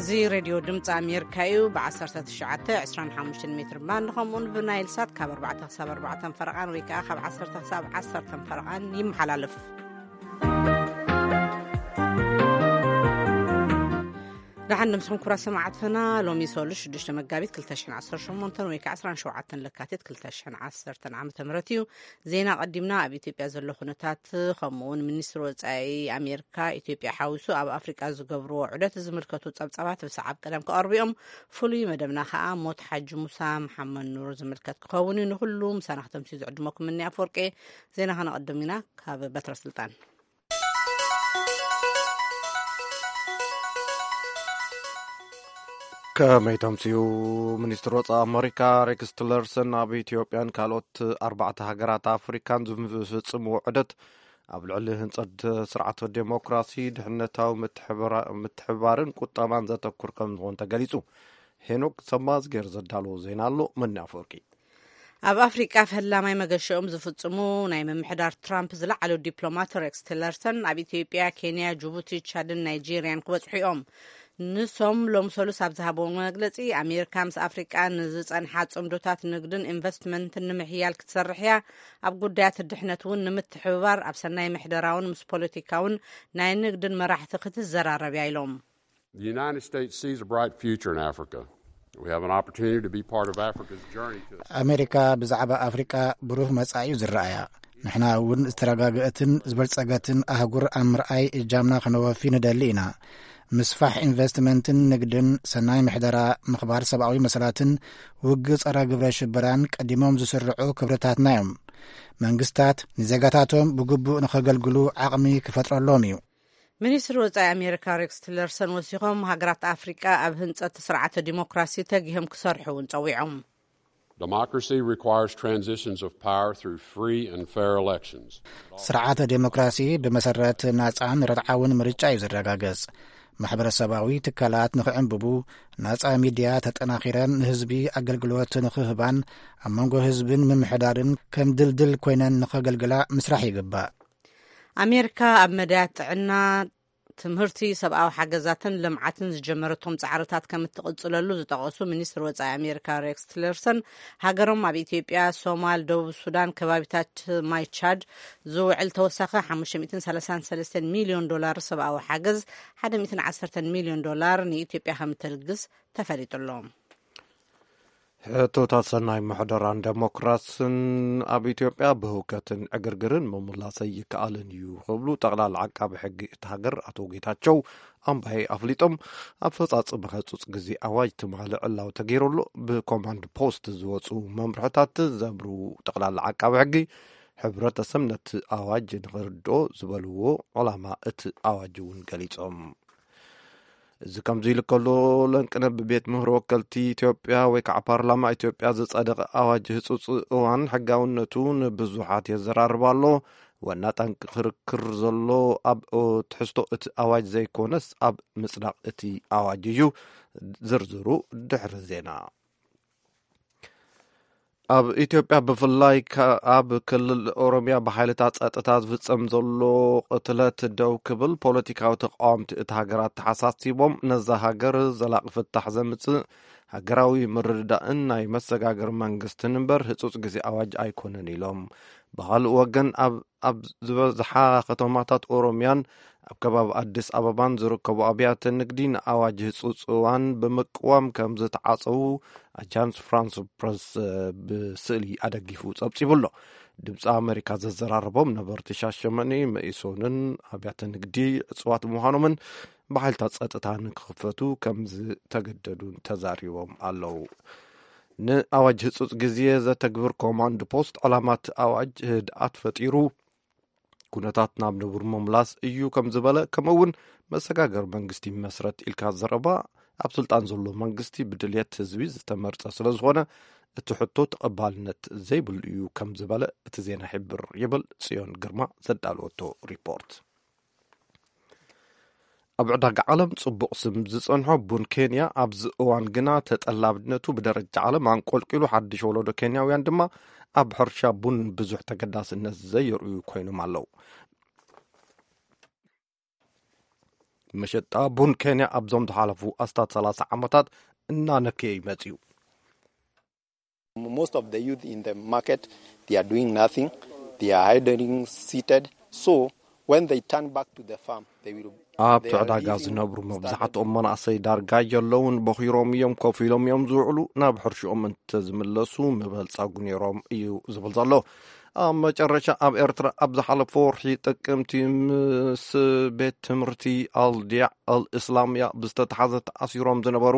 እዚ ሬድዮ ድምፂ ኣሜሪካ እዩ። ብ19፣ 25 ሜትር ባንድ ከምኡውን ብናይል ሳት ካብ ኣርባዕተ ክሳብ ኣርባዕተ ፈረቓን ወይ ከዓ ካብ ዓሰርተ ክሳብ ዓሰርተ ፈረቓን ይመሓላለፍ። ደሓን ንምስኹም ክቡራት ሰማዕትና። ሎሚ ሰሉስ ሽዱሽተ መጋቢት ክልተ ሽሕን ዓሰርተ ሸሞንተን ወይ ከዓ ዕስራን ሸውዓተን ለካቲት ክልተ ሽሕን ዓሰርተን ዓመተ ምህረት እዩ። ዜና ቀዲምና። ኣብ ኢትዮጵያ ዘሎ ኩነታት ከምኡ እውን ሚኒስትሪ ወጻኢ ኣሜሪካ ኢትዮጵያ ሓዊሱ ኣብ ኣፍሪቃ ዝገብርዎ ዑደት ዝምልከቱ ጸብጻባት ብሰዓብ ቀደም ክቐርቡ እዮም። ፍሉይ መደብና ከኣ ሞት ሓጂ ሙሳ መሓመድ ኑር ዝምልከት ክኸውን እዩ። ንኹሉ ምሳና ክተምስዩ ዝዕድመኩም እኒ ኣፈወርቂ። ዜና ከነቐድም ኢና ካብ በትረ ስልጣን። ከመይ ተምስዩ? ሚኒስትር ወጻኢ ኣመሪካ ሬክስ ቲለርሰን ኣብ ኢትዮጵያን ካልኦት ኣርባዕተ ሃገራት ኣፍሪካን ዝፍጽምዎ ዑደት ኣብ ልዕሊ ህንጸት ስርዓት ዴሞክራሲ፣ ድሕነታዊ ምትሕብራ-፣ ምትሕብባርን ቁጠባን ዘተኩር ከም ዝኾን ተገሊጹ። ሄኖክ ሰማዝጌር ዘዳለዎ ዜና ኣሎ። መኒ ኣፈወርቂ። ኣብ ኣፍሪቃ ፈላማይ መገሸኦም ዝፍጽሙ ናይ ምምሕዳር ትራምፕ ዝለዓሉ ዲፕሎማት ሬክስ ቲለርሰን ኣብ ኢትዮጵያ፣ ኬንያ፣ ጅቡቲ፣ ቻድን ናይጄርያን ክበጽሑ እዮም። ንሶም ሎም ሰሉስ ኣብ ዝሃብዎ መግለጺ፣ ኣሜሪካ ምስ ኣፍሪቃ ንዝጸንሓ ጽምዶታት ንግድን ኢንቨስትመንትን ንምሕያል ክትሰርሕ እያ። ኣብ ጉዳያት ድሕነት እውን ንምትሕብባር ኣብ ሰናይ ምሕደራውን ምስ ፖለቲካውን ናይ ንግድን መራሕቲ ክትዘራረብ እያ ኢሎም። The United States sees a bright future in Africa. We have an opportunity to be part of Africa's journey to a ኣሜሪካ ብዛዕባ ኣፍሪቃ ብሩህ መጻኢ እዩ ዝረኣያ። ንሕና እውን ዝተረጋገአትን ዝበልጸገትን ኣህጉር ኣብ ምርኣይ እጃምና ከነወፊ ንደሊ ኢና። ምስፋሕ ኢንቨስትመንትን ንግድን፣ ሰናይ ምሕደራ፣ ምኽባር ሰብኣዊ መሰላትን ውግእ ጸረ ግብረ ሽበራን ቀዲሞም ዝስርዑ ክብርታትና እዮም። መንግስታት ንዜጋታቶም ብግቡእ ንኸገልግሉ ዓቕሚ ክፈጥረሎም እዩ። ሚኒስትሪ ወጻኢ ኣሜሪካ ሬክስ ቲለርሰን ወሲኾም፣ ሃገራት ኣፍሪቃ ኣብ ህንጸት ስርዓተ ዲሞክራሲ ተጊሆም ክሰርሑ እውን ጸዊዖም። Democracy requires transitions of power through free and fair elections. ስርዓተ ዴሞክራሲ ብመሰረት ናጻን ርትዓውን ምርጫ እዩ ዝረጋገጽ። ማሕበረሰባዊ ትካላት ንኽዕንብቡ፣ ናጻ ሚድያ ተጠናኺረን ንህዝቢ ኣገልግሎት ንኽህባን ኣብ መንጎ ህዝብን ምምሕዳርን ከም ድልድል ኮይነን ንኸገልግላ ምስራሕ ይግባእ። ኣሜሪካ ኣብ መዳያት ጥዕና፣ ትምህርቲ፣ ሰብኣዊ ሓገዛትን ልምዓትን ዝጀመረቶም ጻዕርታት ከም እትቕጽለሉ ዝጠቐሱ ሚኒስትር ወጻኢ ኣሜሪካ ሬክስ ቲለርሰን፣ ሃገሮም ኣብ ኢትዮጵያ፣ ሶማል፣ ደቡብ ሱዳን፣ ከባቢታት ማይ ቻድ ዝውዕል ተወሳኺ ሓሙሽተ ሚእትን ሰላሳን ሰለስተን ሚልዮን ዶላር ሰብኣዊ ሓገዝ፣ ሓደ ሚእትን ዓሰርተን ሚልዮን ዶላር ንኢትዮጵያ ከም እተልግስ ተፈሊጡ ኣሎ። ሕቶታት ሰናይ ምሕደራን ዴሞክራስን ኣብ ኢትዮጵያ ብህውከትን ዕግርግርን ምምላሰይ ይከኣልን እዩ ክብሉ ጠቕላላ ዓቃቢ ሕጊ እቲ ሃገር ኣቶ ጌታቸው ኣምባዬ ኣፍሊጦም። ኣፈጻጽማ ህጹጽ ግዜ ኣዋጅ ትማሊ ዕላዊ ተገይሩሉ። ብኮማንድ ፖስት ዝወጹ መምርሕታት ዘብሩ ጠቕላላ ዓቃቢ ሕጊ፣ ሕብረተሰብ ነቲ ኣዋጅ ንኽርድኦ ዝበልዎ ዕላማ እቲ ኣዋጅ እውን ገሊጾም። እዚ ከምዚ ኢሉ ከሎ፣ ለንቅነ ብቤት ምህሮ ወከልቲ ኢትዮጵያ ወይ ከዓ ፓርላማ ኢትዮጵያ ዝጸደቐ ኣዋጅ ህጹጽ እዋን ሕጋውነቱ ንብዙሓት የዘራርብ ኣሎ። ዋና ጠንቂ ክርክር ዘሎ ኣብ ትሕዝቶ እቲ ኣዋጅ ዘይኮነስ ኣብ ምጽዳቕ እቲ ኣዋጅ እዩ። ዝርዝሩ ድሕሪ ዜና። ኣብ ኢትዮጵያ ብፍላይ ከ-፣ ኣብ ክልል ኦሮሚያ ብሓይልታት ጸጥታ ዝፍጸም ዘሎ ቅትለት ደው ክብል ፖለቲካዊ ተቃወምቲ እቲ ሃገር ኣተሓሳሲቦም፣ ነዛ ሃገር ዘላቂ ፍታሕ ዘምጽእ ሃገራዊ ምርድዳእን ናይ መሰጋገሪ መንግስትን እምበር ህጹጽ ግዜ ኣዋጅ ኣይኮነን ኢሎም። ብኻልእ ወገን ኣብ ኣብ ዝበዝሓ ከተማታት ኦሮሚያን ኣብ ከባቢ ኣዲስ ኣበባን ዝርከቡ ኣብያተ ንግዲ ንኣዋጅ ህጹጽ እዋን ብምቅዋም ከም ዝተዓጸዉ ኣጃንስ ፍራንስ ፕረስ፣ እ፣ ብስእሊ ኣደጊፉ ጸብጺቡ ኣሎ። ድምፂ ኣሜሪካ ዘዘራረቦም ነበርቲ ሻሸመኔ፣ መኢሶንን ኣብያተ ንግዲ ዕጽዋት ምዃኖምን ብሓይልታት ጸጥታ ንክኽፈቱ ከም ዝተገደዱን ተዛሪቦም ኣለዉ። ንኣዋጅ ህጹጽ ግዜ ዘተግብር ኮማንድ ፖስት ዕላማ እቲ ኣዋጅ ህድኣት ፈጢሩ፣ ኩነታት ናብ ንቡር ምምላስ እዩ ከም ዝበለ፣ ከምኡ እውን መሰጋገሪ መንግስቲ ይመስረት ኢልካ ዘረባ ኣብ ስልጣን ዘሎ መንግስቲ ብድልየት ህዝቢ ዝተመርጸ ስለ ዝኾነ እቲ ሕቶ ተቐባልነት ዘይብሉ እዩ ከም ዝበለ እቲ ዜና ይሕብር ይብል ጽዮን ግርማ ዘዳለወቶ ሪፖርት። ኣብ ዕዳጋ ዓለም ጽቡቕ ስም ዝጸንሖ ቡን ኬንያ ኣብዚ እዋን ግና ተጠላብነቱ ብደረጃ ዓለም ኣንቆልቂሉ፣ ሓድሽ ወለዶ ኬንያውያን ድማ ኣብ ሕርሻ ቡን ብዙሕ ተገዳስነት ዘየርእዩ ኮይኖም ኣለዉ። መሸጣ ቡን ኬንያ ኣብዞም ዝሓለፉ ኣስታት ሰላሳ ዓመታት እናነከየ ይመጽእ እዩ። Most of the youth in the market, they are doing nothing. They are idling seated. So when they turn back to the farm, they will ኣብ ትዕዳጋ ዝነብሩ መብዛሕትኦም መናእሰይ ዳርጋ የለውን። በኺሮም እዮም፣ ኮፍ ኢሎም እዮም ዝውዕሉ። ናብ ሕርሽኦም እንተዝምለሱ ምበልጸጉ ነይሮም እዩ ዝብል ዘሎ። ኣብ መጨረሻ ኣብ ኤርትራ ኣብ ዝሓለፈ ወርሒ ጥቅምቲ ምስ ቤት ትምህርቲ ኣልዲያ ኣልእስላምያ ብዝተተሓዘ ተኣሲሮም ዝነበሩ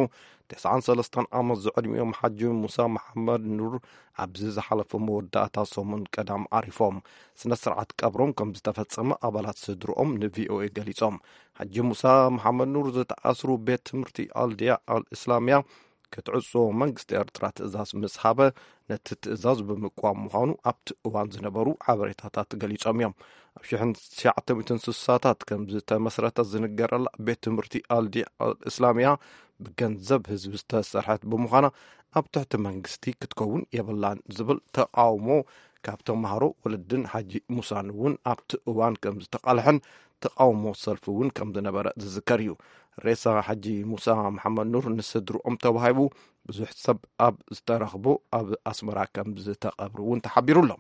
ተስዓን ሰለስተን ዓመት ዝዕድሚኦም ሓጂ ሙሳ መሓመድ ኑር ኣብዚ ዝሓለፈ መወዳእታ ሰሙን ቀዳም ዓሪፎም። ስነ ስርዓት ቀብሮም ከም ዝተፈጸመ ኣባላት ስድርኦም ንቪኦኤ ገሊጾም። ሓጂ ሙሳ መሓመድ ኑር ዝተኣስሩ ቤት ትምህርቲ ኣልዲያ ኣልእስላምያ ክትዕጾ መንግስቲ ኤርትራ ትእዛዝ ምስ ሃበ ነቲ ትእዛዝ ብምቅዋም ምዃኑ ኣብቲ እዋን ዝነበሩ ሓበሬታታት ገሊጾም እዮም። ኣብ ሽሕን ትሽዓተ ሚእትን ስሳታት ከም ዝተመስረተ ዝንገረላ ቤት ትምህርቲ ኣልዲ ኣልእስላምያ ብገንዘብ ህዝቢ ዝተሰርሐት ብምዃና ኣብ ትሕቲ መንግስቲ ክትከውን የብላን ዝብል ተቃውሞ ካብ ተምሃሮ፣ ወለድን ሓጂ ሙሳን እውን ኣብቲ እዋን ከም ዝተቃልሐን ተቃውሞ ሰልፊ እውን ከም ዝነበረ ዝዝከር እዩ። ሬሳ ሓጂ ሙሳ መሓመድ ኑር ንስድርኦም ተዋሂቡ ብዙሕ ሰብ ኣብ ዝተረኽቦ ኣብ ኣስመራ ከም ዝተቐብሩ እውን ተሓቢሩ ኣሎ።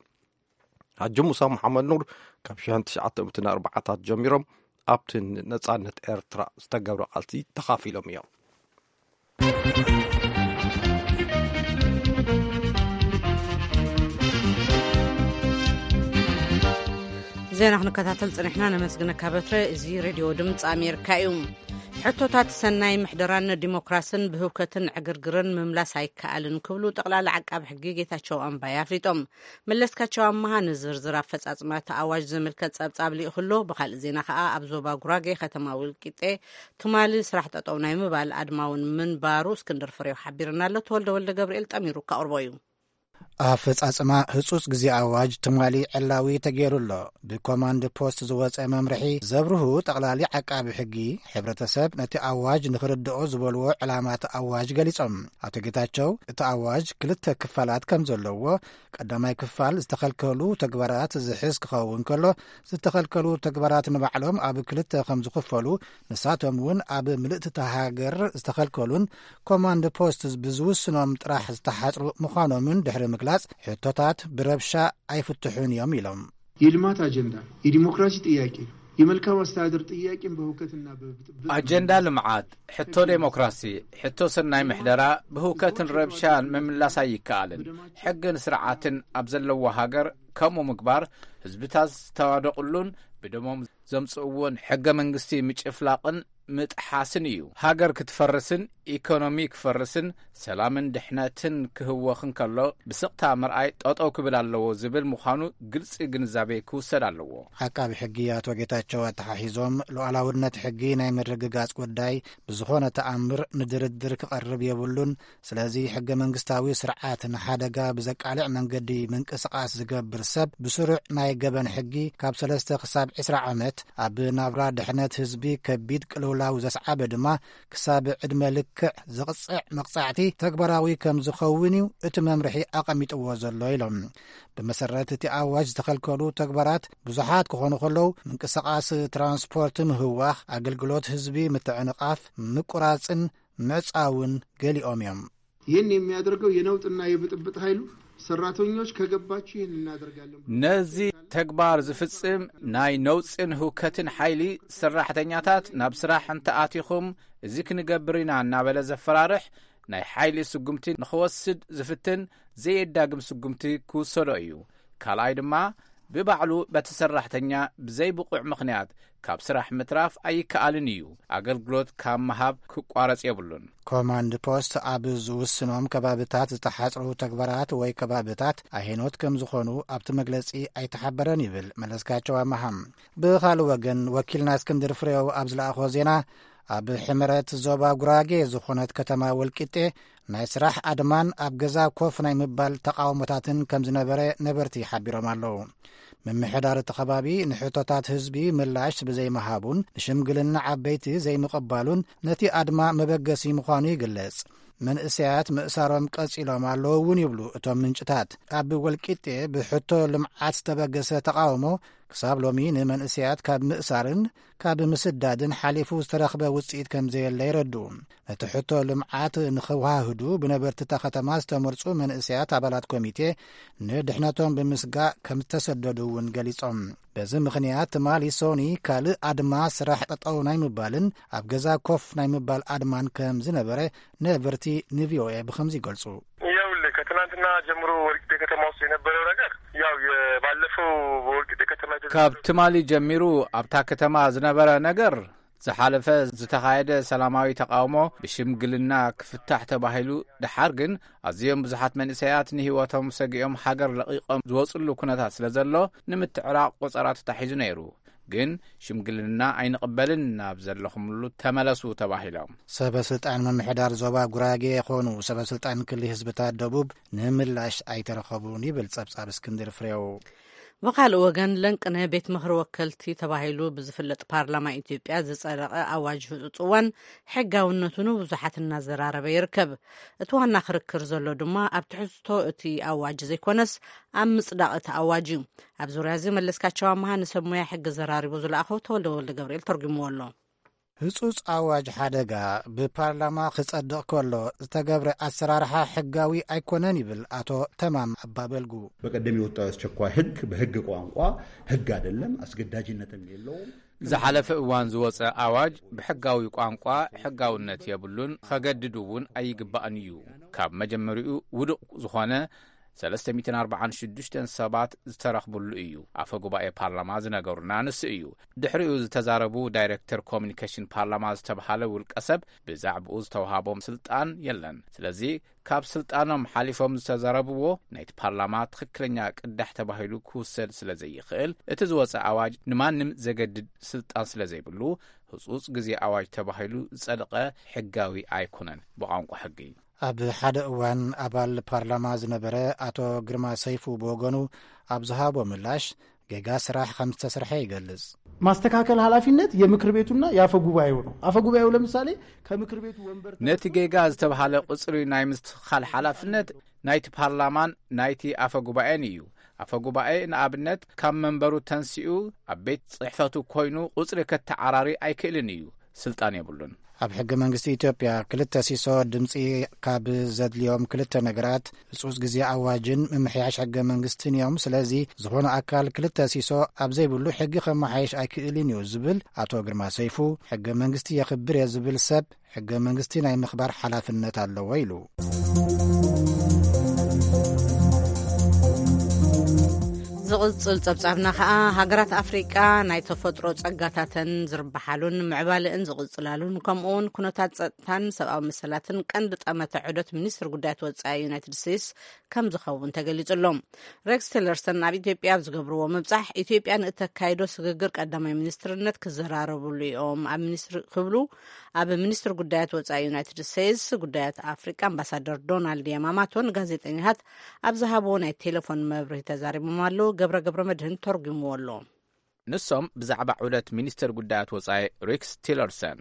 ሓጂ ሙሳ መሓመድ ኑር ካብ ሽሕን ትሽዓተ ሚእትን ኣርባዓታት ጀሚሮም ኣብቲ ነጻነት ኤርትራ ዝተገብረ ቃልሲ ተኻፊሎም እዮም። ዜና ክንከታተል ጽኒሕና። ነመስግነካ በትረ። እዚ ሬድዮ ድምፂ ኣሜሪካ እዩ። ሕቶታት ሰናይ ምሕደራን ዲሞክራስን ብህውከትን ዕግርግርን ምምላስ ኣይከኣልን ክብሉ ጠቕላሊ ዓቃቢ ሕጊ ጌታቸው ኣምባይ ኣፍሊጦም። መለስካቸው ኣመሃ ንዝርዝር ኣፈጻጽማ እቲ ኣዋጅ ዝምልከት ጸብጻብ ልኢኹ ኣሎ። ብኻልእ ዜና ከኣ ኣብ ዞባ ጉራጌ ከተማ ውልቂጤ ትማሊ ስራሕ ጠጠው ናይ ምባል ኣድማውን ምንባሩ እስክንድር ፍሬው ሓቢርና ኣሎ። ተወልደ ወልደ ገብርኤል ጠሚሩ ከቕርቦ እዩ። ኣፈጻጽማ ህጹጽ ግዜ ኣዋጅ ትማሊ ዕላዊ ተገይሩ ኣሎ። ብኮማንድ ፖስት ዝወጸ መምርሒ ዘብርሁ ጠቕላሊ ዓቃቢ ሕጊ፣ ሕብረተሰብ ነቲ ኣዋጅ ንኽርድኦ ዝበልዎ ዕላማት ኣዋጅ ገሊጾም። ኣቶ ጌታቸው እቲ ኣዋጅ ክልተ ክፋላት ከም ዘለዎ፣ ቀዳማይ ክፋል ዝተኸልከሉ ተግባራት ዝሕዝ ክኸውን ከሎ፣ ዝተኸልከሉ ተግባራት ንባዕሎም ኣብ ክልተ ከም ዝኽፈሉ፣ ንሳቶም እውን ኣብ ምልእቲ እታ ሃገር ዝተኸልከሉን ኮማንድ ፖስት ብዝውስኖም ጥራሕ ዝተሓጽሩ ምዃኖምን ድሕሪ ምግላጽ፣ ሕቶታት ብረብሻ ኣይፍትሑን እዮም ኢሎም። የልማት ኣጀንዳ፣ የዲሞክራሲ ጥያቄ፣ የመልካም ኣስተዳደር ጥያቄን በህውከትና በብጥብጥ ኣጀንዳ ልምዓት፣ ሕቶ ዴሞክራሲ፣ ሕቶ ሰናይ ምሕደራ ብህውከትን ረብሻን ምምላስ ኣይከኣልን። ሕግን ስርዓትን ኣብ ዘለዎ ሃገር ከምኡ ምግባር ህዝብታት ዝተዋደቑሉን ብደሞም ዘምጽእዎን ሕገ መንግስቲ ምጭፍላቕን ምጥሓስን እዩ። ሃገር ክትፈርስን ኢኮኖሚ ክፈርስን ሰላምን ድሕነትን ክህወኽ እንከሎ ብስቕታ ምርኣይ ጠጠው ክብል ኣለዎ ዝብል ምዃኑ ግልጺ ግንዛቤ ክውሰድ ኣለዎ። ዓቃቢ ሕጊ ኣቶ ጌታቸው ኣተሓሒዞም፣ ሉዓላውነት ሕጊ ናይ ምርግጋጽ ጉዳይ ብዝኾነ ተኣምር ንድርድር ክቐርብ የብሉን። ስለዚ ሕገ መንግስታዊ ስርዓት ንሓደጋ ብዘቃልዕ መንገዲ ምንቅስቓስ ዝገብር ሰብ ብስሩዕ ናይ ገበን ሕጊ ካብ ሰለስተ ክሳብ ዕስራ ዓመት፣ ኣብ ናብራ ድሕነት ህዝቢ ከቢድ ቅልውላው ዘስዓበ ድማ ክሳብ ዕድመ ልክዕ ዝቕጽዕ መቕጻዕቲ ተግባራዊ ከም ዝኸውን እዩ እቲ መምርሒ ኣቐሚጥዎ ዘሎ ኢሎም። ብመሰረት እቲ ኣዋጅ ዝተኸልከሉ ተግባራት ብዙሓት ክኾኑ ከለዉ፣ ምንቅስቓስ ትራንስፖርት ምህዋኽ፣ ኣገልግሎት ህዝቢ ምትዕንቓፍ፣ ምቁራጽን ምዕጻውን ገሊኦም እዮም። ይህን የሚያደርገው የነውጥና የብጥብጥ ኃይሉ ሰራተኞች ከገባችሁ ይህን እናደርጋለን ብሎ ነዚ ተግባር ዝፍጽም ናይ ነውጽን ህውከትን ሓይሊ ሰራሕተኛታት ናብ ስራሕ እንተኣቲኹም እዚ ክንገብር ኢና እናበለ ዘፈራርሕ ናይ ሓይሊ ስጉምቲ ንኽወስድ ዝፍትን ዘየዳግም ስጉምቲ ክውሰዶ እዩ። ካልኣይ ድማ ብባዕሉ በቲ ሰራሕተኛ ብዘይ ብቑዕ ምኽንያት ካብ ስራሕ ምትራፍ ኣይከኣልን እዩ። ኣገልግሎት ካብ ምሃብ ክቋረጽ የብሉን። ኮማንድ ፖስት ኣብ ዝውስኖም ከባብታት ዝተሓጽሩ ተግባራት ወይ ከባብታት ኣሄኖት ከም ዝኾኑ ኣብቲ መግለጺ ኣይተሓበረን ይብል መለስካቸው ኣመሃ። ብኻልእ ወገን ወኪልና እስክንድር ፍሬው ኣብ ዝለኣኾ ዜና ኣብ ሕመረት ዞባ ጉራጌ ዝኾነት ከተማ ወልቂጤ ናይ ስራሕ ኣድማን ኣብ ገዛ ኮፍ ናይ ምባል ተቓውሞታትን ከም ዝነበረ ነበርቲ ሓቢሮም ኣለዉ። ምምሕዳር እቲ ከባቢ ንሕቶታት ህዝቢ ምላሽ ብዘይምሃቡን ንሽምግልና ዓበይቲ ዘይምቕባሉን ነቲ ኣድማ መበገሲ ምዃኑ ይግለጽ። መንእሰያት ምእሳሮም ቀጺሎም ኣለዉ እውን ይብሉ እቶም ምንጭታት። ኣብ ወልቂጤ ብሕቶ ልምዓት ዝተበገሰ ተቓውሞ ክሳብ ሎሚ ንመንእሰያት ካብ ምእሳርን ካብ ምስዳድን ሓሊፉ ዝተረኽበ ውጽኢት ከም ዘየለ የረድኡ። ነቲ ሕቶ ልምዓት ንኸወሃህዱ ብነበርቲ እታ ከተማ ዝተመርጹ መንእሰያት ኣባላት ኮሚቴ ንድሕነቶም ብምስጋእ ከም ዝተሰደዱ እውን ገሊጾም። በዚ ምኽንያት ትማሊ ሶኒ ካልእ ኣድማ፣ ስራሕ ጠጠው ናይ ምባልን ኣብ ገዛ ኮፍ ናይ ምባል ኣድማን ከም ዝነበረ ነበርቲ ንቪኦኤ ብኸምዚ ይገልጹ። ይኸውልህ፣ ከትናንትና ጀምሮ ወልቂጤ ከተማ ውስጥ የነበረው ነገር ያው የባለፈው በወልቂጤ ከተማ የተደረገው ካብ ትማሊ ጀሚሩ ኣብታ ከተማ ዝነበረ ነገር፣ ዝሓለፈ ዝተኻየደ ሰላማዊ ተቃውሞ ብሽምግልና ክፍታሕ ተባሂሉ፣ ደሓር ግን ኣዝዮም ብዙሓት መንእሰያት ንህይወቶም ሰጊኦም ሃገር ለቒቖም ዝወጽሉ ኩነታት ስለ ዘሎ፣ ንምትዕራቕ ቆጸራ ተታሒዙ ነይሩ። ግን ሽምግልና ኣይንቕበልን፣ ናብ ዘለኹምሉ ተመለሱ ተባሂሎም። ሰበ ስልጣን ምምሕዳር ዞባ ጉራጌ የኾኑ ሰበ ስልጣን ክልል ህዝብታት ደቡብ ንምላሽ ኣይተረኸቡን ይብል ጸብጻብ እስክንድር ፍሬው። ብኻልእ ወገን፣ ለንቅነ ቤት ምኽሪ ወከልቲ ተባሂሉ ብዝፍለጥ ፓርላማ ኢትዮጵያ ዝጸደቐ ኣዋጅ ህጹጽ እዋን ሕጋውነቱ ንብዙሓት እናዘራረበ ይርከብ። እቲ ዋና ክርክር ዘሎ ድማ ኣብ ትሕዝቶ እቲ ኣዋጅ ዘይኮነስ ኣብ ምጽዳቕ እቲ ኣዋጅ እዩ። ኣብ ዙርያ እዚ መለስካቸው ኣምሃ ንሰብ ሞያ ሕጊ ዘራሪቡ ዝለኣኸው ተወልደ ወልደ ገብርኤል ተርጉምዎ ኣሎ። ህጹጽ ኣዋጅ ሓደጋ ብፓርላማ ክጸድቕ ከሎ ዝተገብረ ኣሰራርሓ ሕጋዊ ኣይኮነን ይብል ኣቶ ተማም ኣባበልጉ። በቀደም የወጣው የአስቸኳይ ህግ በህግ ቋንቋ ህግ አይደለም፣ አስገዳጅነትም የለውም። ዝሓለፈ እዋን ዝወጸ ኣዋጅ ብሕጋዊ ቋንቋ ሕጋውነት የብሉን፣ ከገድድ እውን ኣይግባእን እዩ። ካብ መጀመሪኡ ውዱቕ ዝኾነ ሰለስተ ሚእትን ኣርባዓን ሽዱሽተን ሰባት ዝተረኽብሉ እዩ። ኣፈ ጉባኤ ፓርላማ ዝነገሩና ንሱ እዩ። ድሕሪኡ ዝተዛረቡ ዳይሬክተር ኮሚኒኬሽን ፓርላማ ዝተብሃለ ውልቀ ሰብ ብዛዕባኡ ዝተውሃቦም ስልጣን የለን። ስለዚ ካብ ስልጣኖም ሓሊፎም ዝተዛረብዎ ናይቲ ፓርላማ ትኽክለኛ ቅዳሕ ተባሂሉ ክውሰድ ስለ ዘይኽእል፣ እቲ ዝወጸ ኣዋጅ ንማንም ዘገድድ ስልጣን ስለ ዘይብሉ፣ ህጹጽ ግዜ ኣዋጅ ተባሂሉ ዝጸደቐ ሕጋዊ ኣይኮነን ብቋንቋ ሕጊ። ኣብ ሓደ እዋን ኣባል ፓርላማ ዝነበረ ኣቶ ግርማ ሰይፉ ብወገኑ ኣብ ዝሃቦ ምላሽ፣ ጌጋ ስራሕ ከም ዝተሰርሐ ይገልጽ። ማስተካከል ኃላፊነት የምክር ቤቱና የአፈ ጉባኤው ነው። አፈ ጉባኤው ለምሳሌ ከምክር ቤቱ ወንበር ነቲ ጌጋ ዝተባሃለ ቁጽሪ ናይ ምስትኽኻል ሓላፍነት ናይቲ ፓርላማን ናይቲ ኣፈ ጉባኤን እዩ። ኣፈ ጉባኤ ንኣብነት ካብ መንበሩ ተንሲኡ ኣብ ቤት ጽሕፈቱ ኮይኑ ቁጽሪ ከተዓራሪ ኣይክእልን እዩ። ስልጣን የብሉን። ኣብ ሕገ መንግስቲ ኢትዮጵያ ክልተ ሲሶ ድምፂ ካብ ዘድልዮም ክልተ ነገራት ህጹጽ ግዜ ኣዋጅን ምምሕያሽ ሕገ መንግስትን እዮም። ስለዚ ዝኾነ ኣካል ክልተ ሲሶ ኣብ ዘይብሉ ሕጊ ከመሓየሽ ኣይክእልን እዩ ዝብል ኣቶ ግርማ ሰይፉ፣ ሕገ መንግስቲ የኽብር እየ ዝብል ሰብ ሕገ መንግስቲ ናይ ምኽባር ሓላፍነት ኣለዎ ኢሉ። ዝቕጽል ጸብጻብና ከኣ፣ ሃገራት ኣፍሪቃ ናይ ተፈጥሮ ጸጋታተን ዝርብሓሉን ምዕባለእን ዝቕጽላሉን፣ ከምኡውን ኩነታት ጸጥታን ሰብኣዊ መሰላትን ቀንዲ ጠመተ ዑደት ሚኒስትር ጉዳያት ወጻኢ ዩናይትድ ስቴትስ ከም ዝኸውን ተገሊጹ ኣሎ። ሬክስ ቲለርሰን ኣብ ኢትዮጵያ ኣብ ዝገብርዎ ምብጻሕ፣ ኢትዮጵያ ንእተካይዶ ስግግር ቀዳማይ ሚኒስትርነት ክዘራረብሉ እዮም ኣብ ሚኒስትሪ ክብሉ ኣብ ሚኒስትሪ ጉዳያት ወጻኢ ዩናይትድ ስቴትስ ጉዳያት ኣፍሪቃ ኣምባሳደር ዶናልድ ያማማቶ ንጋዜጠኛታት ኣብ ዝሃብዎ ናይ ቴሌፎን መብርሂ ተዛሪቦም ኣለዉ። ገብረ ገብረ መድህን ተርጉምዎ ኣሎ። ንሶም ብዛዕባ ዑደት ሚኒስትር ጉዳያት ወጻኢ ሬክስ ቲለርሰን፣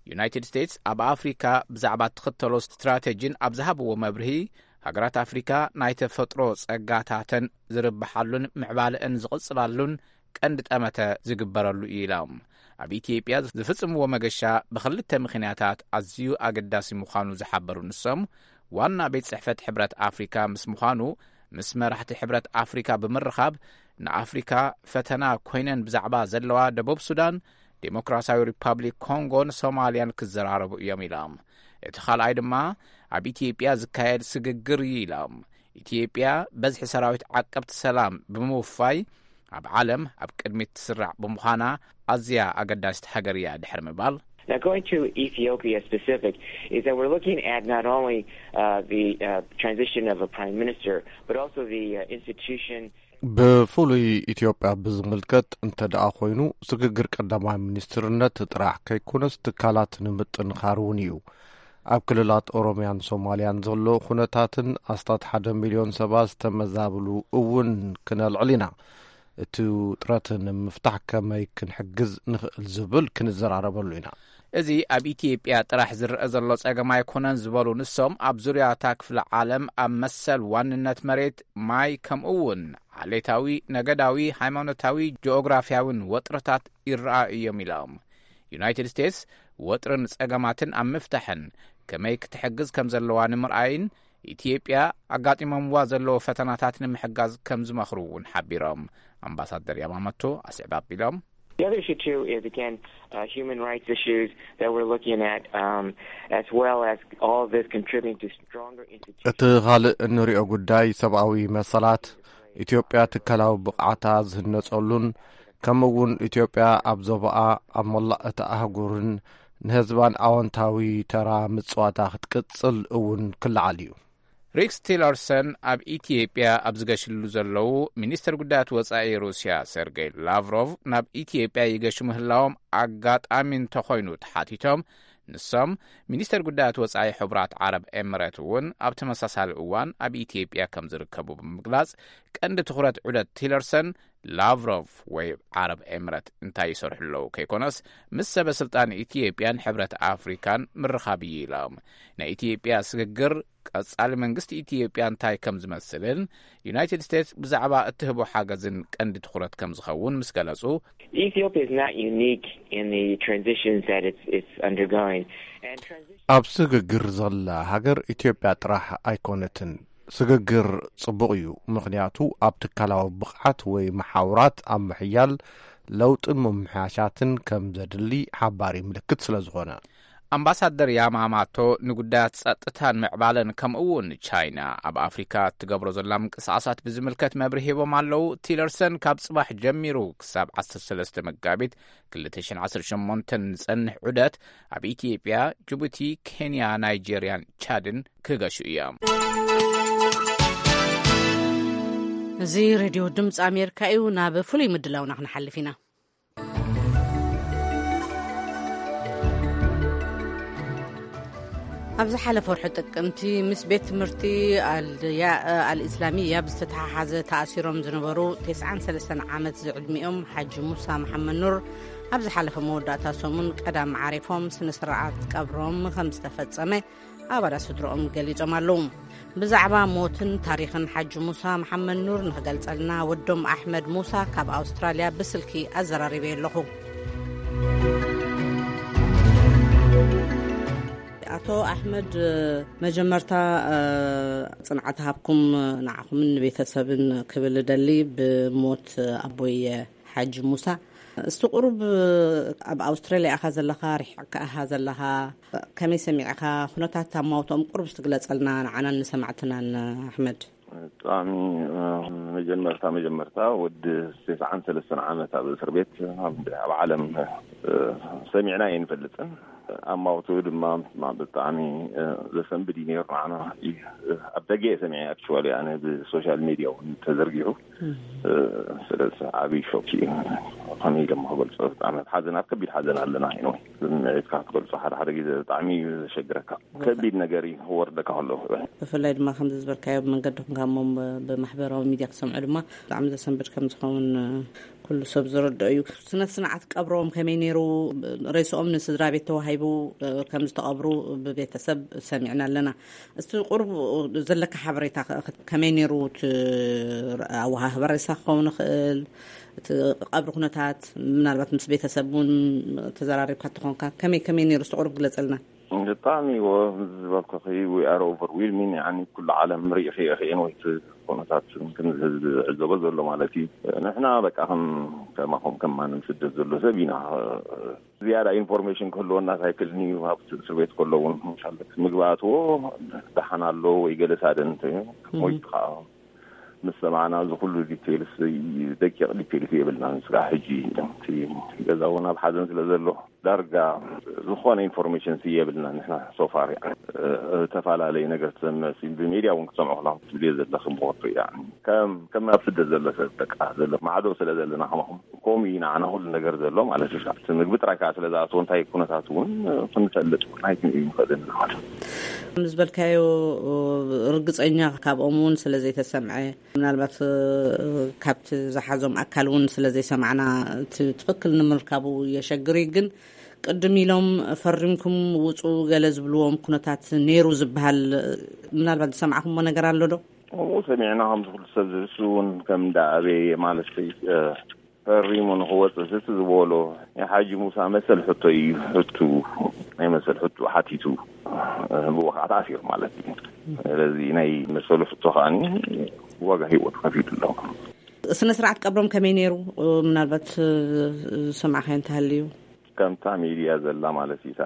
ዩናይትድ ስቴትስ ኣብ ኣፍሪካ ብዛዕባ እትኽተሎ ስትራቴጂን ኣብ ዝሃብዎ መብርሂ፣ ሃገራት ኣፍሪካ ናይ ተፈጥሮ ጸጋታተን ዝርብሓሉን ምዕባለአን ዝቕጽላሉን ቀንዲ ጠመተ ዝግበረሉ እዩ ኢሎም። ኣብ ኢትዮጵያ ዝፍጽምዎ መገሻ ብኽልተ ምኽንያታት ኣዝዩ ኣገዳሲ ምዃኑ ዝሓበሩ ንሶም፣ ዋና ቤት ጽሕፈት ሕብረት ኣፍሪካ ምስ ምዃኑ፣ ምስ መራሕቲ ሕብረት ኣፍሪካ ብምርኻብ፣ ንኣፍሪካ ፈተና ኮይነን ብዛዕባ ዘለዋ ደቡብ ሱዳን፣ ዴሞክራሲያዊ ሪፓብሊክ ኮንጎን ሶማልያን ክዘራረቡ እዮም ኢሎም። እቲ ካልኣይ ድማ ኣብ ኢትዮጵያ ዝካየድ ስግግር እዩ ኢሎም። ኢትዮጵያ በዝሒ ሰራዊት ዓቀብቲ ሰላም ብምውፋይ ኣብ ዓለም ኣብ ቅድሚት ትስራዕ ብምዃና ኣዝያ ኣገዳሲት ሃገር እያ ድሕሪ ምባል፣ Now, going to Ethiopia specific, is that we're looking at not only uh, the uh, transition of a prime minister, but also the uh, institution. ብፍሉይ ኢትዮጵያ ብዝምልከት እንተ ደኣ ኮይኑ፣ ስግግር ቀዳማይ ሚኒስትርነት ጥራሕ ከይኮነስ፣ ትካላት ንምጥንኻር እውን እዩ። ኣብ ክልላት ኦሮምያን ሶማልያን ዘሎ ኩነታትን ኣስታት ሓደ ሚልዮን ሰባት ዝተመዛብሉ እውን ክነልዕል ኢና። እቲ ውጥረት ንምፍታሕ ከመይ ክንሕግዝ ንኽእል ዝብል ክንዘራረበሉ ኢና። እዚ ኣብ ኢትዮጵያ ጥራሕ ዝረአ ዘሎ ጸገም ኣይኮነን ዝበሉ ንሶም፣ ኣብ ዙርያ እታ ክፍለ ዓለም ኣብ መሰል ዋንነት መሬት፣ ማይ፣ ከምኡ እውን ዓሌታዊ፣ ነገዳዊ፣ ሃይማኖታዊ፣ ጂኦግራፍያውን ወጥርታት ይረኣዩ እዮም ኢሎም። ዩናይትድ ስቴትስ ወጥርን ጸገማትን ኣብ ምፍታሕን ከመይ ክትሕግዝ ከም ዘለዋ ንምርኣይን ኢትዮጵያ ኣጋጢሞምዋ ዘለዉ ፈተናታት ንምሕጋዝ ከም ዝመኽሩ እውን ሓቢሮም። ኣምባሳደር ያማሞቶ ኣስዕብ ኣቢሎም። The other issue, too, is, again, uh, human rights issues that we're looking at, um, as well as all this contributing to stronger institutions. እቲ ካልእ እንሪኦ ጉዳይ ሰብኣዊ መሰላት፣ ኢትዮጵያ ትካላዊ ብቕዓታ ዝህነጸሉን፣ ከምኡ እውን ኢትዮጵያ ኣብ ዞባኣ፣ ኣብ መላእ እቲ ኣህጉርን ንህዝባን ኣወንታዊ ተራ ምጽዋታ ክትቅጽል እውን ክለዓል እዩ። ሪክስ ቲለርሰን ኣብ ኢትዮጵያ ኣብ ዝገሽሉ ዘለዉ፣ ሚኒስትር ጉዳያት ወጻኢ ሩስያ ሰርጌይ ላቭሮቭ ናብ ኢትዮጵያ ይገሹ ምህላዎም ኣጋጣሚ እንተኾይኑ ተሓቲቶም፣ ንሶም፣ ሚኒስተር ጉዳያት ወጻኢ ሕቡራት ዓረብ ኤምሬት እውን ኣብ ተመሳሳሊ እዋን ኣብ ኢትዮጵያ ከም ዝርከቡ ብምግላጽ፣ ቀንዲ ትኹረት ዑደት ቲለርሰን ላቭሮቭ ወይ ዓረብ ኤምሬት እንታይ ይሰርሑ ኣለዉ ከይኮነስ፣ ምስ ሰበ ስልጣን ኢትዮጵያን ሕብረት ኣፍሪካን ምርኻብ እዩ ኢሎም። ናይ ኢትዮጵያ ስግግር ቀጻሊ መንግስቲ ኢትዮጵያ እንታይ ከም ዝመስልን ዩናይትድ ስቴትስ ብዛዕባ እትህቦ ሓገዝን ቀንዲ ትኹረት ከም ዝኸውን ምስ ገለጹ፣ Ethiopia is not unique in the transitions that it's, it's undergoing. And transition ኣብ ስግግር ዘላ ሃገር ኢትዮጵያ ጥራሕ ኣይኮነትን። ስግግር ጽቡቕ እዩ፣ ምኽንያቱ ኣብ ትካላዊ ብቕዓት ወይ መሓውራት ኣብ ምሕያል ለውጥን ምምሕያሻትን ከም ዘድሊ ሓባሪ ምልክት ስለ ዝኾነ። ኣምባሳደር ያማማቶ ንጉዳያት ጸጥታን ምዕባለን ከምኡ እውን ቻይና ኣብ ኣፍሪካ እትገብሮ ዘላ ምንቅስቓሳት ብዝምልከት መብርሂ ሂቦም ኣለዉ። ቲለርሰን ካብ ጽባሕ ጀሚሩ ክሳብ ዓሰርተ ሰለስተ መጋቢት ክልተ ሽሕን ዓሰርተ ሸሞንተን ንጸንሕ ዑደት ኣብ ኢትዮጵያ፣ ጅቡቲ፣ ኬንያ፣ ናይጄርያን ቻድን ክገሹ እዮም። እዚ ሬድዮ ድምፂ ኣሜሪካ እዩ። ናብ ፍሉይ ምድላውና ክንሓልፍ ኢና። ኣብ ዝሓለፈ ወርሒ ጥቅምቲ ምስ ቤት ትምህርቲ ኣልያ-፣ ኣልእስላሚያ ብዝተተሓሓዘ ተኣሲሮም ዝነበሩ ተስዓን ሰለስተን ዓመት ዝዕድሚኦም ሓጂ ሙሳ መሓመድ ኑር ኣብ ዝሓለፈ መወዳእታ ሰሙን ቀዳም ዓሪፎም ስነ ስርዓት ቀብሮም ከም ዝተፈጸመ ኣባላት ስድሮኦም ገሊጾም ኣለዉ። ብዛዕባ ሞትን ታሪኽን ሓጂ ሙሳ መሓመድ ኑር ንኽገልጸልና ወዶም ኣሕመድ ሙሳ ካብ ኣውስትራልያ ብስልኪ ኣዘራሪበዮ ኣለኹ። ኣቶ ኣሕመድ፣ መጀመርታ፣ እ፣ ጽንዓት ሃብኩም ንዓኹምን ንቤተሰብን ክብል እደሊ ብሞት ኣቦየ ሓጂ ሙሳ። እስቲ ቁሩብ ኣብ ኣውስትራልያ ኢኻ ዘለኻ፣ ርሒቕካ ኢኻ ዘለኻ፣ ከመይ ሰሚዕኻ? ኩነታት ኣማውትኦም ቁሩብ እስቲ ግለጸልና ንዓናን ንሰማዕትናን ኣሕመድ። ብጣዕሚ፣ እ፣ መጀመርታ፣ መጀመርታ ወዲ ተስዓን ሰለስተን ዓመት ኣብ እስር ቤት ኣብ፣ ኣብ ዓለም፣ እ፣ ሰሚዕና ኣይንፈልጥን። ኣማውትኡ ድማ ብጣዕሚ፣ እ፣ ዘሰንብድ እዩ ነይሩ ንዓና። እ፣ ኣብ ደገ እየ ሰሚዐ፣ ኣክቹዋሊ፣ ኣነ ብሶሻል ሚድያ እውን ተዘርጊሑ። እ፣ ስለዚ ዓብዪ ሾክ እዩ። ከመይ ኢለ እሞ ክገልጾ፣ ብጣዕሚ ኣብ ሓዘን፣ ኣብ ከቢድ ሓዘን ኣለና። ኢኖ ስምዒትካ ክትገልጾ ሓደ ሓደ ግዜ ብጣዕሚ እዩ ዘሸግረካ። ከቢድ ነገር እዩ ክወርደካ ከሎ። ብፍላይ ድማ ከምዚ ዝበልካዮ ብመንገዲ ኮንካ እሞ ብ-፣ ብማሕበራዊ ሚድያ ክሰምዑ ድማ ብጣዕሚ ዘሰንብድ ከም ዝኸውን፣ እ፣ ኩሉ ሰብ ዝረድኦ እዩ። ስነ ስርዓት ቀብሮም ከመይ ነይሩ? ሬስኦም ንስድራ ቤት ተዋሂቡ፣ እ፣ ከም ዝተቐብሩ ብቤተሰብ ሰሚዕና ኣለና። እስቲ ቁሩብ ዘለካ ሓበሬታ ከ-፣ ከመይ ነይሩ? እቲ ኣወሃህባ ሬሳ ክኸውን ይኽእል፣ እቲ ቀብሪ ኩነታት፣ ምናልባት ምስ ቤተሰብ እውን ተዘራሪብካ እንተኾንካ፣ ከመይ፣ ከመይ ነይሩ? እስቲ ቁሩብ ግለጸልና። ብጣዕሚ እዎ፣ ዝበልኩኺ፣ we are overwhelming፣ ያኒ፣ ኩሉ ዓለም ርኢኺ ኢኺ፣ ወይ እቲ ኩነታት ከም ህዝቢ ዝዕዘቦ ዘሎ ማለት እዩ። ንሕና በቃ ከም፣ ከማኹም ከም ማንም ስደት ዘሎ ሰብ ኢና። ዝያዳ ኢንፎርሜሽን ክህልወና ኣይክእልን እዩ። ኣብ እስር ቤት ከሎ እውን፣ ኢንሻላህ፣ ምግቢ ኣትዎ ደሓን ኣሎ ወይ ገለ ሳደን እንተ እህ። ሞይቱ ከዓ ምስ ሰማዕና፣ እዚ ኩሉ ዲቴልስ፣ ደቂቕ ዲቴልስ የብልናን። ስጋዕ ሕጂ እቲ ገዛ እውን ኣብ ሓዘን ስለ ዘሎ፣ ዳርጋ ዝኾነ ኢንፎርሜሽን የብልናን። ንሕና ሶፋር፣ እ፣ ተፈላለየ ነገር ትሰምዕ ሲ፣ ብሚድያ እውን ክትሰምዑ ከለኹም ትብልዮ ዘለኺ ብወቱ፣ ያኒ፣ ከም፣ ከም ኣብ ስደት ዘሎ ሰብ፣ በቃ፣ ዘሎ ማዕዶ ስለ ዘለና፣ ከማኹም ከምኡ እዩ ንዓና ኩሉ ነገር ዘሎ ማለት እዩ። እቲ ምግቢ ጥራይ ከዓ ስለ ዝኣትዎ፣ እንታይ ኩነታት እውን ክንፈልጥ ኣይክንእዩ ንኽእል ኢና ማለት እዩ። ከም ዝበልካዮ፣ ርግጸኛ ካብኦም እውን ስለ ዘይተሰምዐ፣ ምናልባት፣ እ፣ ካብቲ ዝሓዞም ኣካል እውን ስለ ዘይሰማዕና፣ እቲ ትኽክል ንምርካቡ የሸግር እዩ። ግን ቅድም ኢሎም ፈሪምኩም ውፁ ገለ ዝብልዎም ኩነታት ነይሩ ዝበሃል፣ ምናልባት ዝሰማዕኩምዎ ነገር ኣሎ ዶ? ከምኡ ሰሚዕና፣ ከምዚ ኩሉ ሰብ ዝብስ እውን ከም እንዳ ኣበየ ማለት ፈሪሙ ንክወፅእ ስቲ ዝበሎ ናይ ሓጂ ሙሳ መሰል ሕቶ እዩ። ሕቱ ናይ መሰል ሕቱ ሓቲቱ፣ ብኡ ከዓ ተኣሲሩ ማለት እዩ። ስለዚ ናይ መሰሉ ሕቶ ከዓ ዋጋ ህይወት ከፊሉ ኣሎ። ስነ ስርዓት ቀብሮም ከመይ ነይሩ? ምናልባት ዝሰማዕካዮ እንተሃልዩ። ከምታ ሚድያ ዘላ ማለት እዩ፣ እታ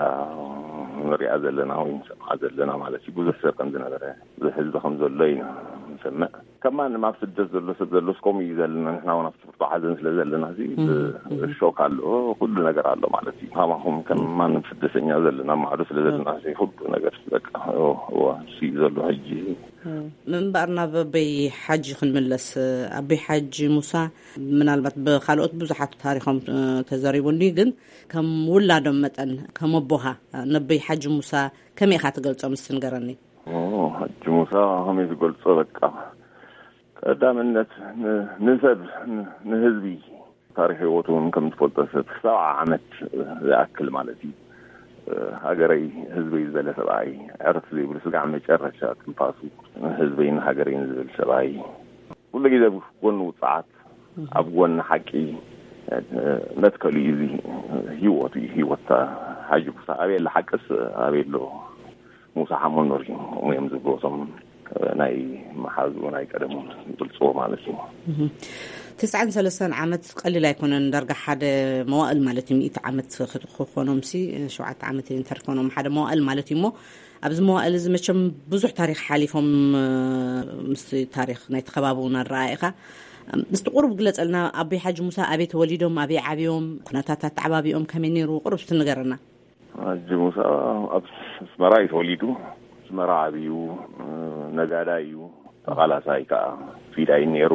ንሪኣ ዘለና ወይ ንሰምዓ ዘለና ማለት እዩ፣ ብዙሕ ሰብ ከም ዝነበረ፣ ብዙሕ ህዝቢ ከም ዘሎ ኢና ንሰምዕ። ከም ማንም ኣብ ስደት ዘሎ ሰብ ዘሎ ከምኡ እዩ ዘለና። ንሕና እውን ኣብቲ ብርቱ ሓዘን ስለ ዘለና እዚ ብ- ሾክ ኣሎ፣ ኩሉ ነገር ኣሎ ማለት እዩ። ካማኹም ከም ማንም ስደተኛ ዘለና ማዕዶ ስለ ዘለና እዚ ኩሉ ነገር በቃ እዎ፣ እዎ፣ እሱ እዩ ዘሎ ሕጂ። ምንባር ናብ ኣቦይ ሓጂ ክንምለስ፣ ኣቦይ ሓጂ ሙሳ ምናልባት ብካልኦት ብዙሓት ታሪኾም ተዘሪቡ እንዲ፣ ግን ከም ውላዶም መጠን፣ ከም ኣቦኻ፣ ነቦይ ሓጂ ሙሳ ከመይ ኢኻ ትገልጾም? እስቲ ንገረኒ። ኦ፣ ሓጂ ሙሳ ከመይ ትገልጾ? በቃ ቀዳምነት ን- ንሰብ ን- ንህዝቢ፣ ታሪክ ህይወቱ እውን ከም ትፈልጦ ሰብ ሰብዓ ዓመት ዝኣክል ማለት እዩ። ሃገረይ ህዝበይ ዝበለ ሰብኣይ፣ ዕርፍ ዘይብሉ ስጋዕ መጨረሻ ትንፋሱ፣ ህዝበይን ሃገረይን ዝብል ሰብኣይ፣ ኩሉ ግዜ ኣብ ጎኒ ውፅዓት፣ ኣብ ጎኒ ሓቂ መትከሉ እዩ። እዚ ህይወቱ እዩ። ህይወት ሓጂ ሙሳ ኣበይ ኣሎ ሓቅስ ኣበይ ኣሎ? ሙሳ ሓሞኖር እዩ። እሞ እዮም ዝብሉ እቶም ናይ መሓዙ ናይ ቀደሙ ይገልፅዎ ማለት እዩ። ትስዓን ሰለስተን ዓመት ቀሊል ኣይኮነን። ዳርጋ ሓደ መዋእል ማለት እዩ። ሚእቲ ዓመት ክኾኖም ሲ ሸውዓተ ዓመት እንተርኮኖም ሓደ መዋእል ማለት እዩ። እሞ ኣብዚ መዋእል እዚ መቸም ብዙሕ ታሪክ ሓሊፎም፣ ምስ ታሪክ ናይ ተኸባብውን ኣረኣኢኻ ምስቲ ቁሩብ ግለፀልና። ኣቦይ ሓጂ ሙሳ ኣበይ ተወሊዶም፣ ኣበይ ዓብዮም፣ ኩነታት ኣተዓባቢኦም ከመይ ነይሩ? ቁሩብ እስቲ ንገረና። ሓጂ ሙሳ ኣብ ኣስመራ እዩ ተወሊዱ። ኣስመራ ዓብዩ፣ ነጋዳይ እዩ። ተቓላሳይ ከዓ ፊዳይ ነይሩ።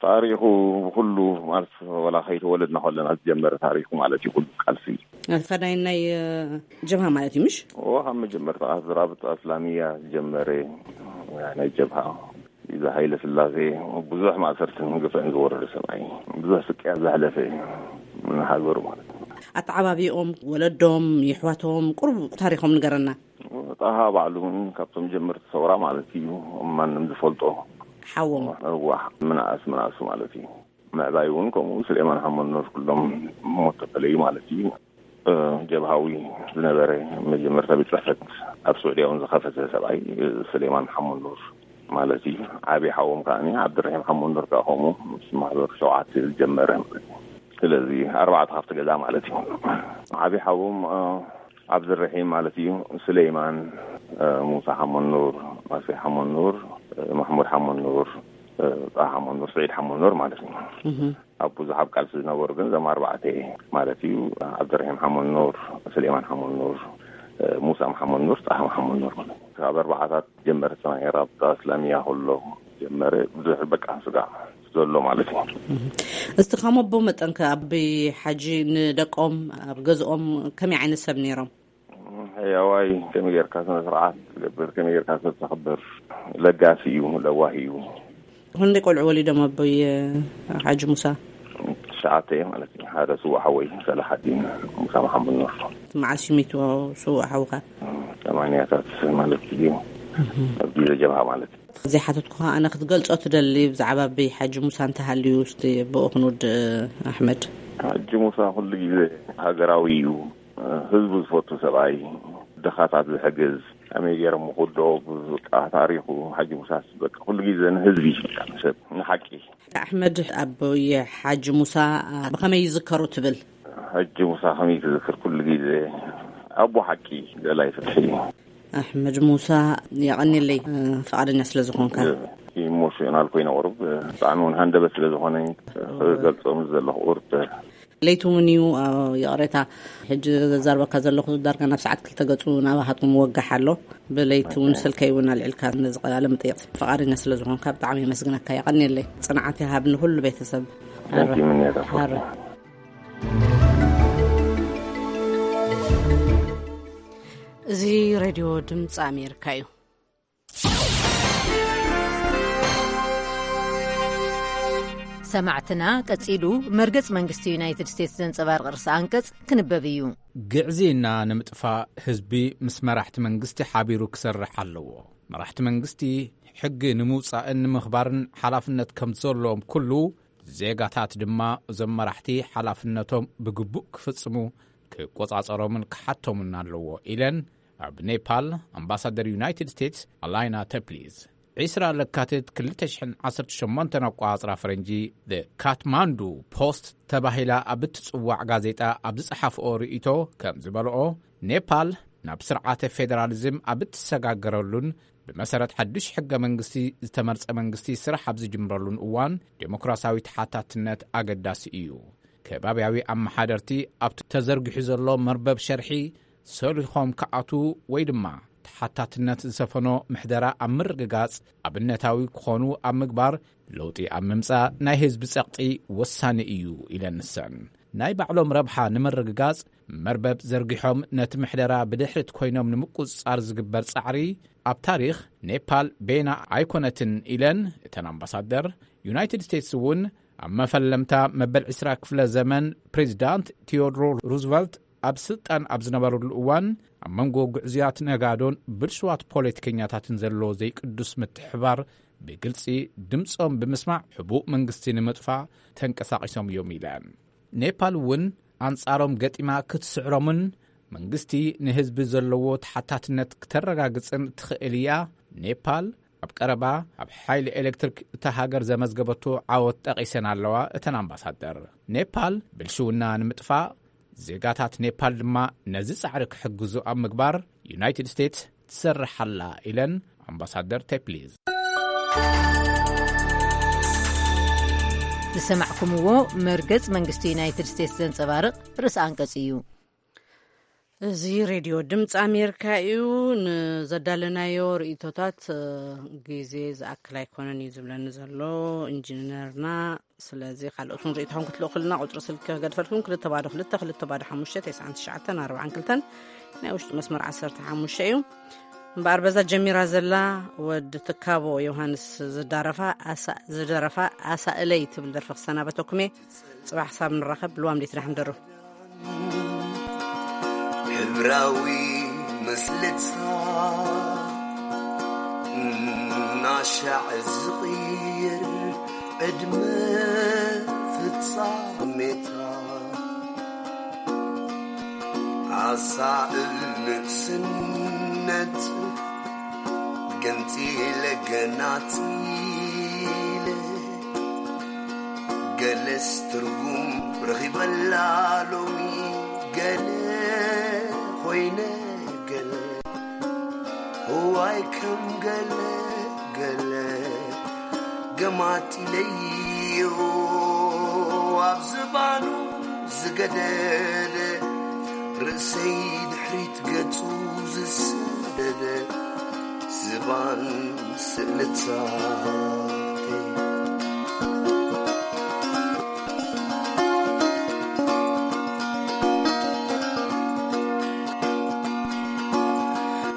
ታሪኹ ብኩሉ ማለት ወላ ከይተወለድና ከለና ዝጀመረ ታሪኹ ማለት እዩ። ኩሉ ቃልሲ ፈዳይ ናይ ጀብሃ ማለት እዩ ምሽ? ኦ፣ ካብ መጀመርታ ዝራብጣ እስላሚያ ዝጀመረ ናይ ጀብሃ፣ እዚ ሃይለ ስላሴ ብዙሕ ማእሰርትን ግፍዕን ዝወረደ ሰብኣይ፣ ብዙሕ ስቅያ ዘሕለፈ ንሃገሩ ማለት እዩ። ኣተዓባቢኦም፣ ወለዶም፣ ይሕዋቶም ቁሩብ ታሪኾም ንገረና። ጣሃ ባዕሉ እውን ካብቶም ጀመርቲ ሰውራ ማለት እዩ። ማንም ዝፈልጦ ሓዎም። እዋ፣ ምንኣስ ምንኣሱ ማለት እዩ። ምዕባይ እውን ከምኡ። ስሌማን ሓመድ ኑር ኩሎም ሞት ተፈለዩ ማለት እዩ። ጀብሃዊ ዝነበረ መጀመርታ ቤት ፅሕፈት ኣብ ስዑድያ እውን ዝኸፈተ ሰብኣይ ስሌማን ሓመድ ኑር ማለት እዩ። ዓብዪ ሓዎም ከዓ ዓብድራሂም ሓመድ ኑር ከዓ ከምኡ ምስ ማሕበር ሸውዓተ ዝጀመረ ማለት እዩ። ስለዚ ኣርባዕተ ካብቲ ገዛ ማለት እዩ። ዓብዪ ሓዎም ዓብድራሂም ማለት እዩ። ስሌማን፣ ሙሳ ሓመድ ኑር፣ ማስሪ ሓመድ ኑር፣ ማሕሙድ ሓመድ ኑር፣ ጣሃ ሓመድ ኑር፣ ስዒድ ሓመድ ኑር ማለት እዩ። ኣብ ብዙሕ ኣብ ቃልሲ ዝነበሩ ግን እዞም ኣርባዕተ ማለት እዩ። ዓብደርሒም ሓመድ ኑር፣ ስሌማን ሓመድ ኑር፣ ሙሳ መሓመድ ኑር፣ ጣሃ መሓመድ ኑር ማለት እዩ። ካብ ኣርባዓታት ጀመረ ናይ ራብጣ እስላሚያ ከሎ ጀመረ ብዙሕ በቃ ስጋዕ ዘሎ ማለት እዩ። እስቲ ከም ኣቦ መጠንከ ኣቢ ሓጂ ንደቆም ኣብ ገዝኦም ከመይ ዓይነት ሰብ ነይሮም? ሕያዋይ ከመይ ጌርካ ስነ ስርዓት ትገብር፣ ከመይ ጌርካ ሰብ ተኽብር፣ ለጋሲ እዩ፣ ለዋህ እዩ። ክንደይ ቆልዑ ወሊዶም ኣቦይ ሓጂ ሙሳ? ትሽዓተ ማለት እዩ። ሓደ ስዉእ ሓወይ ሰላሓዲን ሙሳ መሓመድ ኑር። መዓስ እዩ ሚቱ ስዉእ ሓውካ? ሰማንያታት ማለት እዩ። ኣብ ግዜ ጀብሃ ማለት እዩ። ዘይሓተትኩኻ ኣነ ክትገልጾ ትደሊ ብዛዕባ ኣቦይ ሓጂ ሙሳ እንተሃልዩ እስቲ ብኡ ክንውድእ ኣሕመድ። ሓጂ ሙሳ ኩሉ ግዜ ሃገራዊ እዩ። ህዝቡ ዝፈቱ ሰብኣይ፣ ድኻታት ዝሕግዝ፣ ከመይ ገይሮም ምኹዶ፣ ብቃ ታሪኹ ሓጂ ሙሳስ በቃ ኩሉ ግዜ ንህዝቢ፣ በቃ ንሰብ፣ ንሓቂ። ኣሕመድ ኣቦይ ሓጂ ሙሳ ብኸመይ ይዝከሩ ትብል? ሓጂ ሙሳ ከመይ ትዝክር? ኩሉ ግዜ ኣቦ ሓቂ፣ ደላይ ፍትሒ። ኣሕመድ ሙሳ የቐንየለይ ፍቓደኛ ስለ ዝኾንካ። ኢሞሽናል ኮይነ ቁሩብ ብጣዕሚ እውን ሃንደበት ስለ ዝኾነ ክገልጾ ምስ ዘለኹ ቁሩብ ለይቲ እውን እዩ። ይቕሬታ፣ ሕጂ ዘዛርበካ ዘለኹ ዳርጋ ናብ ሰዓት ክልተ ገጹ ናባኻትኩም ወጋሕ ኣሎ። ብለይቲ እውን ስልከይ እውን ኣልዒልካ ነዚ ቃለ መጠይቕ ፍቓደኛ ስለ ዝኾንካ ብጣዕሚ የመስግነካ። የቐንየለይ። ጽንዓት ይሃብ ንኹሉ ቤተሰብ። Thank you፣ ምንያት ኣፎርቂ። ሓረ። እዚ ሬድዮ ድምፂ ኣሜሪካ እዩ። ሰማዕትና፣ ቀጺሉ መርገጽ መንግስቲ ዩናይትድ ስቴትስ ዘንጸባርቕ ርእሰ ኣንቀጽ ክንበብ እዩ። ግዕዝይና ንምጥፋእ ህዝቢ ምስ መራሕቲ መንግስቲ ሓቢሩ ክሰርሕ ኣለዎ። መራሕቲ መንግስቲ ሕጊ ንምውጻእን ንምኽባርን ሓላፍነት ከም ዘለዎም ኩሉ፣ ዜጋታት ድማ እዞም መራሕቲ ሓላፍነቶም ብግቡእ ክፍጽሙ ክቆጻጸሮምን ክሓቶምን ኣለዎ ኢለን ኣብ ኔፓል ኣምባሳደር ዩናይትድ ስቴትስ ኣላይና ተፕሊዝ። ዒስራ ለካቲት ክልተ ሽሕን ዓሰርተ ሸሞንተን ኣቋጽራ ፈረንጂ፣ The Kathmandu Post ተባሂላ ኣብ እትጽዋዕ ጋዜጣ ኣብ ዝጸሓፍኦ ርእይቶ ከም ዝበልኦ፣ ኔፓል ናብ ስርዓተ ፌደራሊዝም ኣብ እትሰጋገረሉን ብመሰረት ሓዱሽ ሕገ መንግስቲ ዝተመርጸ መንግስቲ ስራሕ ኣብ ዝጅምረሉን እዋን፣ ዴሞክራሲያዊ ተሓታትነት ኣገዳሲ እዩ። ከባብያዊ ኣመሓደርቲ ኣብቲ ተዘርጊሑ ዘሎ መርበብ ሸርሒ ሰሊኾም ክኣትዉ ወይ ድማ ተሓታትነት ዝሰፈኖ ምሕደራ ኣብ ምርግጋጽ ኣብነታዊ ክኾኑ ኣብ ምግባር፣ ለውጢ ኣብ ምምጻእ ናይ ህዝቢ ጸቕጢ ወሳኒ እዩ ኢለን ንሰን። ናይ ባዕሎም ረብሓ ንምርግጋጽ መርበብ ዘርጊሖም ነቲ ምሕደራ ብድሕሪት ኮይኖም ንምቁጽጻር ዝግበር ጻዕሪ ኣብ ታሪኽ ኔፓል ቤና ኣይኮነትን ኢለን እተን ኣምባሳደር። ዩናይትድ ስቴትስ እውን ኣብ መፈለምታ መበል ዕስራ ክፍለ ዘመን ፕሬዚዳንት ቴዎድሮ ሩዝቨልት ኣብ ስልጣን ኣብ ዝነበረሉ እዋን ኣብ መንጎ ግዕዙያት ነጋዶን ብልሽዋት ፖለቲከኛታትን ዘሎ ዘይቅዱስ ምትሕባር ብግልጺ ድምጾም ብምስማዕ ሕቡእ መንግስቲ ንምጥፋእ ተንቀሳቒሶም እዮም ኢለን። ኔፓል እውን ኣንጻሮም ገጢማ ክትስዕሮምን መንግስቲ ንህዝቢ ዘለዎ ተሓታትነት ክተረጋግጽን ትኽእል እያ። ኔፓል ኣብ ቀረባ ኣብ ሓይሊ ኤሌክትሪክ እታ ሃገር ዘመዝገበቶ ዓወት ጠቒሰን ኣለዋ እተን ኣምባሳደር። ኔፓል ብልሽውና ንምጥፋእ፣ ዜጋታት ኔፓል ድማ ነዚ ጻዕሪ ክሕግዙ ኣብ ምግባር ዩናይትድ ስቴትስ ትሰርሕ ኣላ ኢለን ኣምባሳደር ቴፕሊዝ። ዝሰማዕኩምዎ መርገጽ መንግስቲ ዩናይትድ ስቴትስ ዘንጸባርቕ ርእሰ ኣንቀጽ እዩ። እዚ ሬድዮ ድምፂ ኣሜሪካ እዩ። ንዘዳለናዮ ርእይቶታት፣ እ፣ ግዜ ዝኣክል ኣይኮነን እዩ ዝብለኒ ዘሎ ኢንጂነርና። ስለዚ ካልኦት እውን ርእይቶኹም ክትልእኹልና ቁፅሪ ስልኪ ክገድፈልኩም፣ ክልተ ባዶ ክልተ፣ ክልተ ባዶ ሓሙሽተ፣ ተስዓን ትሽዓተን ኣርባዓን ክልተን፣ ናይ ውሽጢ መስመር ዓሰርተ ሓሙሽተ እዩ። እምበኣር በዛ ጀሚራ ዘላ ወዲ ትካቦ ዮሃንስ ዝዳረፋ ኣሳ-፣ ዝደረፋ ኣሳእለይ ትብል ደርፊ ክሰናበተኩም እየ። ጽባሕ ክሳብ ንራኸብ፣ ልዋም ዴት ዳሕም ደሩ። ሕብራዊ ምስልታ እናሻዕ ዝቕይር ዕድመ ፍጻሜታ፣ ኣሳእል ንእስነት ገንጺለ ገናጺለ፣ ገለስ ትርጉም ረኺበላ ሎሚ፣ ገለ ኾይነ ገለ፣ እዋይ ከም ገለ ገለ፣ ገማጢለዮ ኣብ ዝባኑ ዝገደደ፣ ርእሰይ ድሕሪት ገጹ ዝሰደደ፣ ዝባን ስእልታተይ።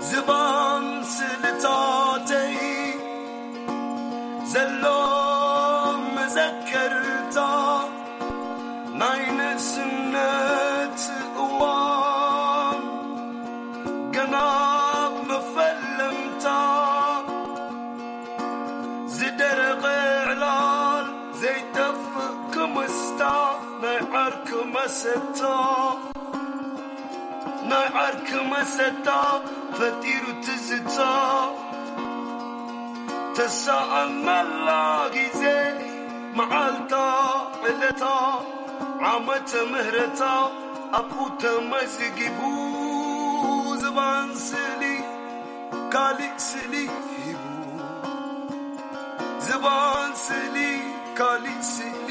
ዝባን ስእልታተይ ዘሎ መዘከርታ ናይ ንእስነት እዋን፣ ገና ኣብ መፈለምታ ዝደረቐ ዕላል ዘይጠፍእ ክምስታ ናይ ዓርኪ መሰታ፣ ናይ ዓርኪ መሰታ ፈጢሩ ትዝታ፣ ተሰኣነላ ግዜ መዓልታ ዕለታ ዓመተ ምህረታ ኣብኡ ተመዝጊቡ፣ ዝባን ስእሊ ካሊእ ስእሊ ሂቡ፣ ዝባን ስእሊ ካሊእ ስእሊ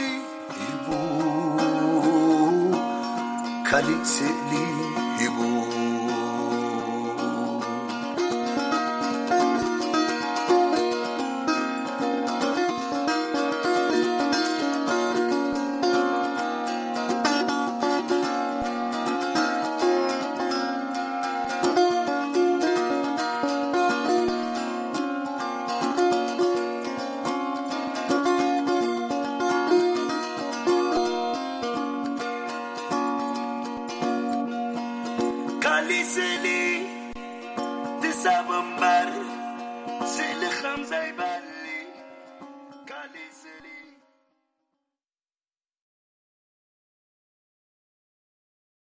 ሂቡ፣ ካሊእ ስእሊ ሂቡ። ኣሊ ስእሊ ትሳብ እምበር ስእሊ ከም ዘይበ